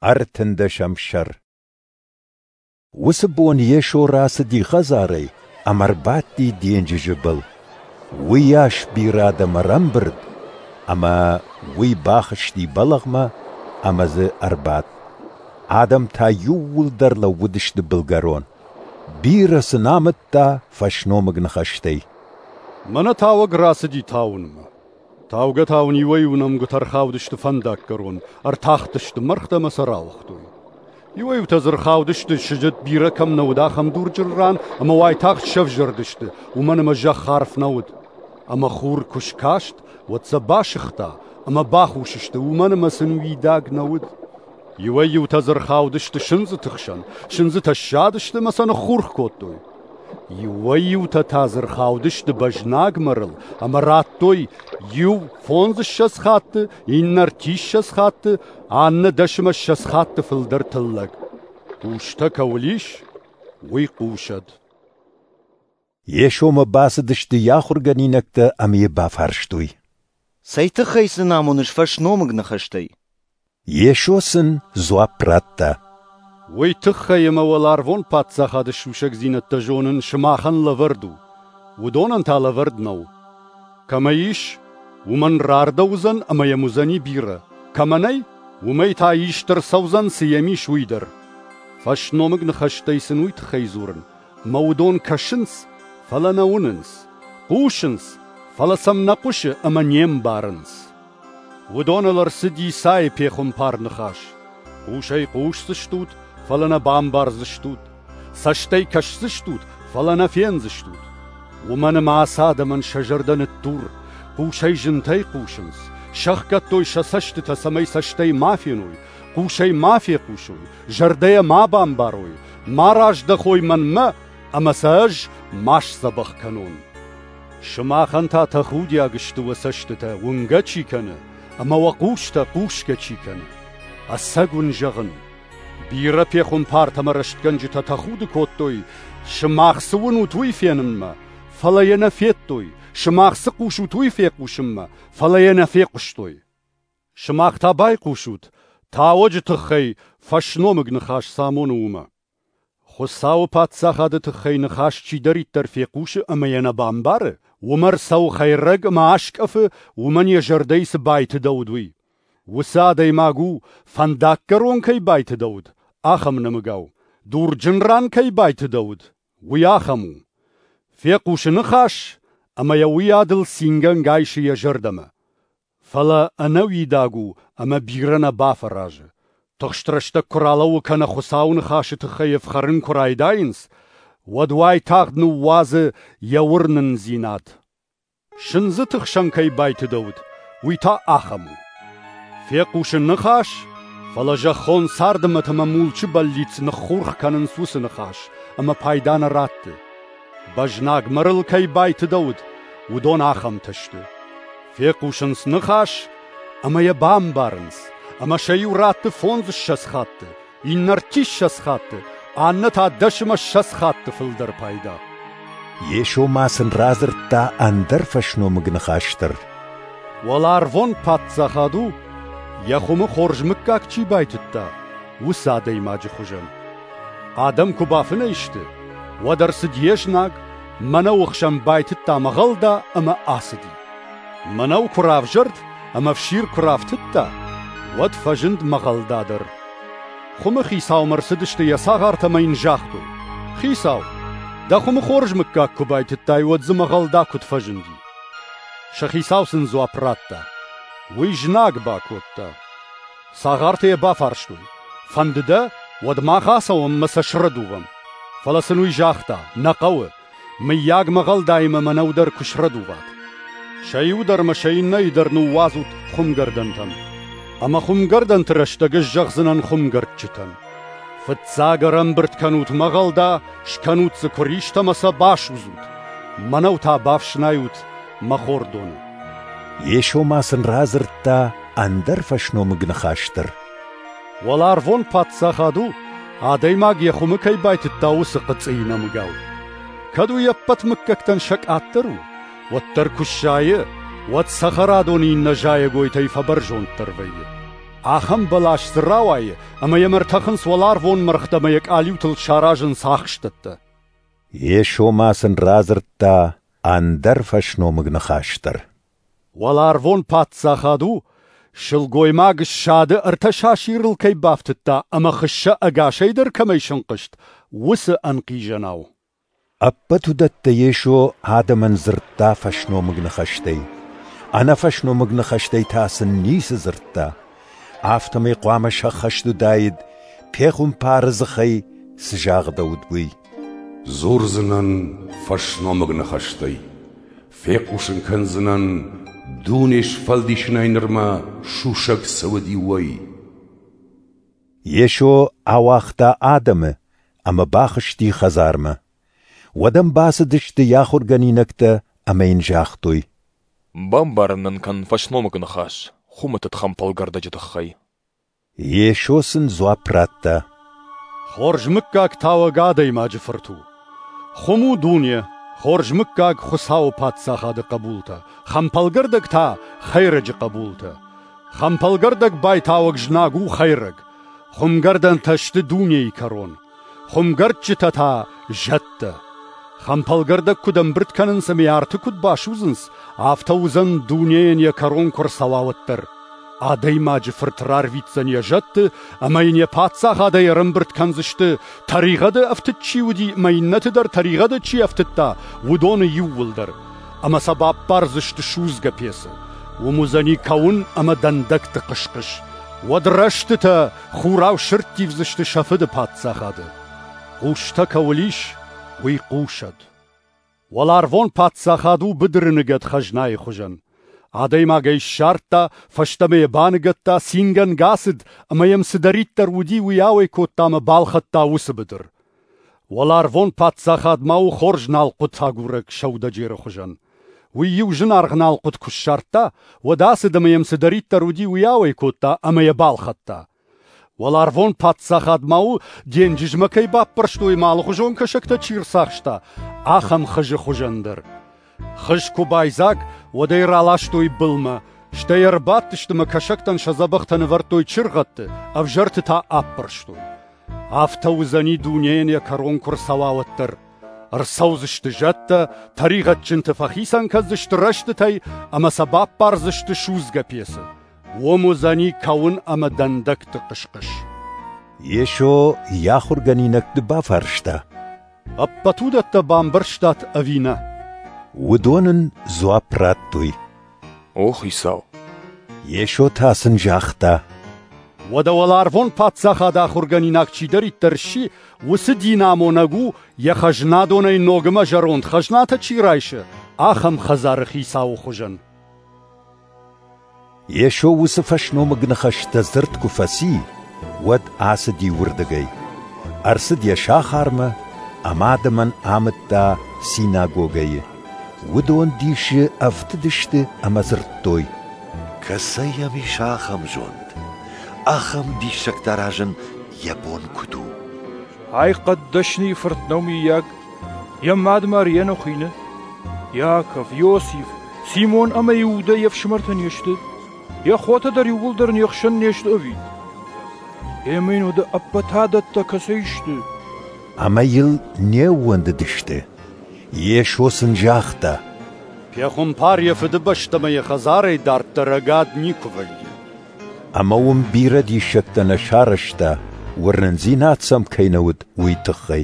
Ӕртындӕсӕм сӕр. Уыцы бон Йесо рацыди хӕдзарӕй ӕмӕ ӕрбадти денджызы был. Уыйас бирӕ адӕм ӕрӕмбырд, ӕмӕ уый бахызти бӕлӕгъмӕ ӕмӕ дзы ӕрбадт. Адӕм та иууылдӕр лӕууыдысты былгӕрон. Бирӕ сын амыдта фӕсномыг ныхӕстӕй. Мӕнӕ тауӕг рацыди тауынмӕ. Таугӕ-тауын иуӕй-иу нӕмгуытӕ ӕрхаудысты фӕндаггӕрон, ӕртахтысты мӕргътӕ ӕмӕ сӕ рауыгътой. Иуӕй-иутӕ дзы ӕрхаудысты, сыджыт бирӕ кӕм нӕ уыд, ахӕм дурджын ран, ӕмӕ уайтагъд сӕвзӕрдысты, уымӕн ӕмӕ зӕхх арф нӕ уыд. Ӕмӕ хур куы скаст, уӕд сӕ басыгъта ӕмӕ бахус сты, уымӕн ӕмӕ сын уидаг нӕ уыд. Иуӕй-иутӕ дзы ӕрхаудысты сындзыты хсӕн, сындзытӕ ссадысты ӕмӕ сӕ ныххурх кодтой. Иуӕй-иутӕ та дзы ӕрхаудысты бӕзнаг мӕрыл ӕмӕ радтой иу фондзыссӕдз хатты, иннӕ ӕртиссӕдз хатты, аннӕ дӕсмӕ ссӕдз хатты фылдӕр тыллӕг. Хъустӕ кӕуыл ис, уый хъусӕд. Йесомӕ бацыдысты йӕ ахуыргӕнинӕгтӕ ӕмӕ йӕ бафарстой: Цӕй тыххӕй сын амоныс фӕсномыг ныхӕстӕй? Йесо сын дзуапп радта: Уый тыххӕй ӕмӕ уӕларвон паддзахады сусӕгдзинӕдтӕ зонын сымахӕн лӕвӕрд у, уыдонӕн та лӕвӕрд нӕу. Кӕмӕ ис, уымӕн рардӕуыдзӕн ӕмӕ йӕм уыдзӕни бирӕ, кӕмӕ нӕй, уымӕй та ист ӕрцӕудзӕн, цы йӕм ис, уый дӕр. Фӕсномыг ныхӕстӕй сын уый тыххӕй дзурын, ӕмӕ уыдон кӕсынц, фӕлӕ нӕ уынынц, хъусынц, фӕлӕ сӕм нӕ хъуысы ӕмӕ не мбарынц. Уыдоныл ӕрцыд Исайы пехуымпар ныхас: Хъусӕй хъусдзыстут, фӕлӕ нӕ бамбардзыстут, цӕстӕй кӕсдзыстут, фӕлӕ нӕ фендзыстут. Уымӕн ӕмӕ ацы адӕмӕн сӕ зӕрдӕ ныддур, хъусӕй зынтӕй хъусынц, сӕхгӕдтой сӕ цӕстытӕ, цӕмӕй цӕстӕй ма феной, хъусӕй ма фехъусой, зӕрдӕйӕ ма бамбарой, ма раздӕхой мӕнмӕ, ӕмӕ сӕ ӕз ма сдзӕбӕх кӕнон. Сымахӕн та тӕхудиаг сты уӕ цӕстытӕ, уынгӕ чи кӕны, ӕмӕ уӕ хъустӕ хъусгӕ чи кӕны. Ӕцӕг уын зӕгъын, бирӕ пехуымпартӕ ӕмӕ рӕстгӕнджытӕ тӕхуды кодтой, сымах цы уынут, уый фенынмӕ, фӕлӕ йӕ нӕ федтой, сымах цы хъусут, уый фехъусынмӕ, фӕлӕ йӕ нӕ фехъуыстой. Сымах та байхъусут, тауӕджы тыххӕй фӕсномыг ныхас цы амоны, уымӕ. Хуыцауы паддзахады тыххӕй ныхас чидӕриддӕр фехъусы ӕмӕ йӕ нӕ бамбары, уымӕ ӕрцӕуы хӕйрӕг ӕмӕ аскъӕфы, уымӕн йӕ зӕрдӕйы цы байтыдӕуыд, уый. Уыцы адӕймаг у, фӕндаггӕрон кӕй байтыдӕуыд, ахӕм нӕмыгау. Дурджын ран кӕй байтыдӕуыд, уый ахӕм у. Фехъусы ныхас, ӕмӕ йӕ уыйадыл цингӕнгӕ айсы йӕ зӕрдӕмӕ. Фӕлӕ ӕнӕуидаг у ӕмӕ бирӕ нӕ бафӕразы. Тыхст рӕстӕг куы ралӕууы кӕнӕ Хуыцауы ныхасы тыххӕй ӕфхӕрын куы райдайынц, уӕд уайтагъд ныууадзы йӕ уырнындзинад. Сындзыты хсӕн кӕй байтыдӕуыд, уый та ахӕм у. Фехъусы ныхас, фӕлӕ зӕххон царды мӕт ӕмӕ мулчы бӕллиц ныххурх кӕнынц уыцы ныхас ӕмӕ пайда нӕ ратты. Бӕзнаг мӕрыл кӕй байтыдӕуыд, уыдон ахӕмтӕ сты. Фехъусынц ныхас ӕмӕ йӕ бамбарынц, ӕмӕ сӕ иу ратты фондзыссӕдз хатты, иннӕ ӕртиссӕдз хатты, аннӕ та дӕсмӕ ссӕдз хатты фылдӕр пайда. Йесо ма сын радзырдта ӕндӕр фӕсномыг ныхас дӕр. Уӕларвон паддзахад у, йӕ хуымы хорз мыггаг чи байтыдта, уыцы адӕймаджы хуызӕн. Адӕм куы бафынӕй сты, уӕд ӕрцыд йе знаг, мӕнӕуы хсӕн байтыдта мӕгъӕлда ӕмӕ ацыди. Мӕнӕу куы равзӕрд ӕмӕ ӕфсир куы рафтыдта, уӕд фӕзынд мӕгъӕлда дӕр. Хуымы хицаумӕ ӕрцыдысты йӕ цагъартӕ ӕмӕ йын загътой: «Хицау, дӕ хуымы хорз мыггаг куы байтыдтай, уӕд дзы мӕгъӕлда куыд фӕзынди?» Сӕ хицау сын дзуапп радта: «Уый знаг бакодта». Цагъартӕ йӕ бафарстой: «Фӕнды дӕ, уӕд мах ацӕуӕм ӕмӕ сӕ срӕдувӕм». Фӕлӕ сын уый загъта: «Нӕ хъӕуы, мыййаг мӕгъӕлдаимӕ мӕнӕу дӕр куы срӕдуват. Сӕ иу дӕр ӕмӕ сӕ иннӕйы дӕр ныууадзут хуымгӕрдӕнтӕм. Ӕмӕ хуымгӕрдӕнты рӕстӕг ӕз зӕгъдзынӕн хуымгӕрдджытӕн: Фыццаг ӕрӕмбырд кӕнут мӕгъӕлда, скӕнут дзы куыристӕ ӕмӕ сӕ басудзут. Мӕнӕу та бафснайут мӕ хордоны. Йесо ма сын радзырдта ӕндӕр фӕсномыг ныхас дӕр. Уӕларвон паддзахад у, адӕймаг йӕ хуымы кӕй байтыдта, уыцы хъыцъыйы нӕмыгау. Кӕд уый ӕппӕт мыггӕгтӕн сӕ къаддӕр у, уӕддӕр куы сзайы, уӕд цӕхӕрадоны иннӕ зайӕгойтӕй фӕбӕрзонддӕр вӕййы. Ахӕм бӕлас дзы рауайы, ӕмӕ йӕм ӕртӕхынц уӕларвон мӕргътӕ ӕмӕ йӕ къалиутыл саразынц ахстӕттӕ. Йесо ма сын радзырдта ӕндӕр фӕсномыг ныхас дӕр. Уӕларвон паддзахад у, сылгоймаг ссады ӕртӕ сасирыл кӕй бафтыдта ӕмӕ хыссӕ ӕгасӕй дӕр кӕмӕй сӕнхъызт, уыцы ӕнхъизӕнау. Ӕппӕт уыдӕттӕ Йесо адӕмӕн дзырдта фӕсномыг ныхӕстӕй. Ӕнӕ фӕсномыг ныхӕстӕй та сын ницы дзырдта. Афтӕмӕй хъуамӕ сӕххӕст уыдаид, пехуымпары дзыхӕй цы загъдӕуыд, уый. Дзурдзынӕн фӕсномыг ныхӕстӕй, фехъусын кӕндзынӕн, дуне сфӕлдисынӕй нырмӕ сусӕг цы уыди, уый. Йесо ауагъта адӕмы ӕмӕ бахызти хӕдзармӕ. Уӕд ӕм бацыдысты йӕ ахуыргӕнинӕгтӕ ӕмӕ йын загътой: Бамбарын нын кӕн фӕсномыг ныхас хуымы тыд хӕмпӕлгӕрдӕджы тыххӕй. Йесо сын дзуапп радта: Хорз мыггаг тауӕг адӕймаджы фырт у. Хуым у дуне, хорз мыггаг Хуыцауы паддзахады хъӕбултӕ, хӕмпӕлгӕрдӕг та хӕйрӕджы хъӕбултӕ. Хӕмпӕлгӕрдӕг байтауӕг знаг у хӕйрӕг. Хуымгӕрдӕнтӕ сты дунейы кӕрон. Хуымгӕрдджытӕ та зӕдтӕ. Хӕмпӕлгӕрдӕг куыд ӕмбырд кӕнынц ӕмӕ арты куыд басудзынц, афтӕ уыдзӕн дунейӕн йӕ кӕрон куы рцӕуа, уӕддӕр. Адӕймаджы фырт рарвитдзӕн йӕ зӕдты ӕмӕ йын йӕ паддзахадӕй ӕрӕмбырд кӕндзысты, тӕригъӕды ӕфтыд чи уыди ӕмӕ иннӕты дӕр тӕригъӕды чи ӕфтыдта, уыдоны иууылдӕр. Ӕмӕ сӕ баппардзысты судзгӕ пецы. Уым уыдзӕни кӕуын ӕмӕ дӕндӕгты хъыс-хъыс. Уӕд рӕстытӕ хурау сӕрттивдзысты сӕ фыды паддзахады. Хъустӕ кӕуыл ис, уый хъусӕд. Уӕларвон паддзахад у быдыры ныгӕд хӕзнайы хуызӕн. Адӕймаг ӕй ссардта, фӕстӕмӕ йӕ баныгӕдта, цингӕнгӕ ацыд, ӕмӕ йӕм цыдӕриддӕр уыди, уый ауӕй кодта ӕмӕ балхӕдта уыцы быдыр. Уӕларвон паддзахад ма у хорз налхъуыт агурӕг сӕудӕджеры хуызӕн. Уый иу зынаргъ налхъуыт куы ссардта, уӕд ацыд ӕмӕ йӕм цыдӕриддӕр уыди, уый ауӕй кодта ӕмӕ йӕ балхӕдта. Уӕларвон паддзахад ма у, денджызмӕ кӕй баппӕрстой ӕмӕ алыхуызон кӕсӕгтӕ чи рцахста, ахӕм хызы хуызӕн дӕр. Хыз куы байдзаг, уӕд ӕй раластой былмӕ, стӕй ӕрбадтысты ӕмӕ кӕсӕгтӕн сӕ дзӕбӕхтӕ нывӕрдтой чыргъӕдты, ӕвзӕрты та аппӕрстой. Афтӕ уыдзӕни дунейӕн йӕ кӕрон куы рцӕуа, уӕддӕр. Ӕрцӕудзысты зӕдтӕ, тӕригъӕдджынты фӕхицӕн кӕндзысты рӕстытӕй ӕмӕ сӕ баппардзысты судзгӕ пецы. Уым уыдзӕни кӕуын ӕмӕ дӕндӕгты хъыс-хъыс. Йесо йӕ ахуыргӕнинӕгты бафарста: Ӕппӕт уыдӕттӕ бамбӕрстат ӕви нӕ? Уыдон ын дзуапп радтой: О Хицау! Йесо та сын загъта: Уӕдӕ уӕларвон паддзахады ахуыргӕнинаг чидӕриддӕр сси, уыцы динамонӕг у, йӕ хӕзнадонӕй ног ӕмӕ зӕронд хӕзнатӕ чи райсы, ахӕм хӕдзары хицауы хуызӕн. Йесо уыцы фӕсномыг ныхӕстӕ дзырд куы фӕци, уӕд ацыди уырдыгӕй. Ӕрцыд йӕ сахармӕ ӕмӕ адӕмӕн амыдта синагогӕйы. Уыдон дисы ӕфтыдысты ӕмӕ дзырдтой: Кӕцӕй йӕм ис ахӕм зонд? Ахӕм диссӕгтӕ аразын йӕ бон куыд у? Ай хъӕддӕсныйы фырт нӕу, мыййаг? Йӕ мад Мариа хуыйны? Иаков, Иосиф, Симон ӕмӕ Иудӕ йе фсымӕртӕ не сты? Йӕ хотӕ дӕр иууылдӕр не хсӕн не сты ӕви? Ӕмӕ йын уӕдӕ ӕппӕт адӕттӕ кӕцӕй сты? Ӕмӕ йыл не ууӕндыдысты. Йесо сын загъта: Пехуымпар йӕ фыдыбӕстӕмӕ йӕ хӕдзарӕй дарддӕр ӕгад никуы вӕййы. Ӕмӕ уым бирӕ диссӕгтӕ нӕ сарӕзта, уырнындзинад сӕм кӕй нӕ уыд, уый тыххӕй.